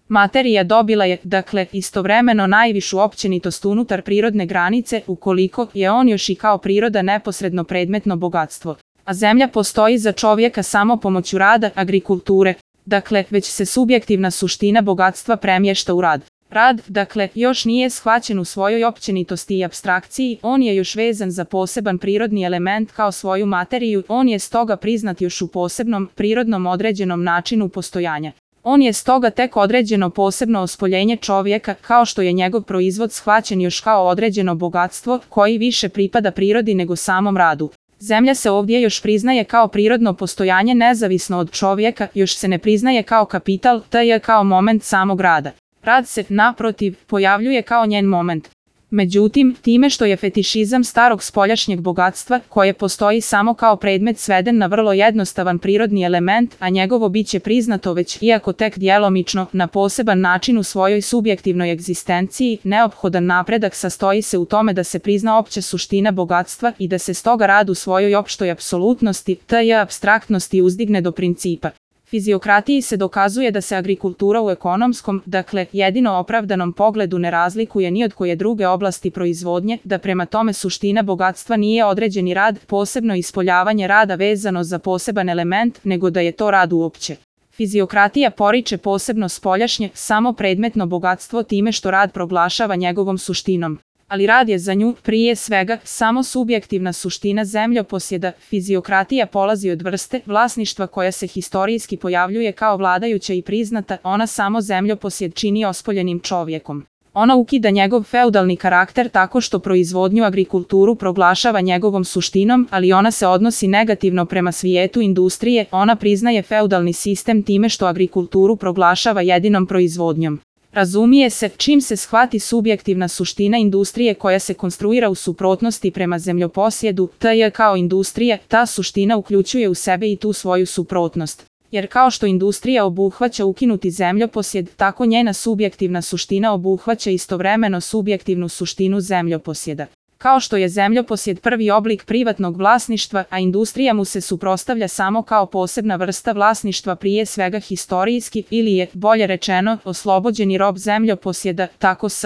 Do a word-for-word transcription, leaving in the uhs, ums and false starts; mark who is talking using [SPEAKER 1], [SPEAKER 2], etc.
[SPEAKER 1] Materija dobila je, dakle, istovremeno najvišu općenitost unutar prirodne granice, ukoliko je on još i kao priroda neposredno predmetno bogatstvo. A zemlja postoji za čovjeka samo pomoću rada, agrikulture. Dakle, već se subjektivna suština bogatstva premješta u rad. Rad, dakle, još nije shvaćen u svojoj općenitosti i apstrakciji, on je još vezan za poseban prirodni element kao svoju materiju, on je stoga priznat još u posebnom, prirodnom određenom načinu postojanja. On je stoga tek određeno posebno ospoljenje čovjeka, kao što je njegov proizvod shvaćen još kao određeno bogatstvo, koji više pripada prirodi nego samom radu. Zemlja se ovdje još priznaje kao prirodno postojanje nezavisno od čovjeka, još se ne priznaje kao kapital, te kao moment samog rada. Rad se, naprotiv, pojavljuje kao njen moment. Međutim, time što je fetišizam starog spoljašnjeg bogatstva, koje postoji samo kao predmet sveden na vrlo jednostavan prirodni element, a njegovo biće priznato već, iako tek djelomično, na poseban način u svojoj subjektivnoj egzistenciji, neophodan napredak sastoji se u tome da se prizna opća suština bogatstva i da se stoga rad u svojoj opštoj apsolutnosti, te apstraktnosti uzdigne do principa. Fiziokratiji se dokazuje da se agrikultura u ekonomskom, dakle, jedino opravdanom pogledu ne razlikuje ni od koje druge oblasti proizvodnje, da prema tome suština bogatstva nije određeni rad, posebno ispoljavanje rada vezano za poseban element, nego da je to rad uopće. Fiziokratija poriče posebno spoljašnje, samo predmetno bogatstvo time što rad proglašava njegovom suštinom. Ali rad je za nju, prije svega, samo subjektivna suština zemljoposjeda. Fiziokratija polazi od vrste vlasništva koja se historijski pojavljuje kao vladajuća i priznata, ona samo zemljoposjed čini ospoljenim čovjekom. Ona ukida njegov feudalni karakter tako što proizvodnju agrikulturu proglašava njegovom suštinom, ali ona se odnosi negativno prema svijetu industrije, ona priznaje feudalni sistem time što agrikulturu proglašava jedinom proizvodnjom. Razumije se, čim se shvati subjektivna suština industrije koja se konstruira u suprotnosti prema zemljoposjedu, te kao industrija, ta suština uključuje u sebe i tu svoju suprotnost. Jer kao što industrija obuhvaća ukinuti zemljoposjed, tako njena subjektivna suština obuhvaća istovremeno subjektivnu suštinu zemljoposjeda. Kao što je zemljoposjed prvi oblik privatnog vlasništva, a industrija mu se suprotstavlja samo kao posebna vrsta vlasništva prije svega historijski, ili je, bolje rečeno, oslobođeni rob zemljoposjeda, tako s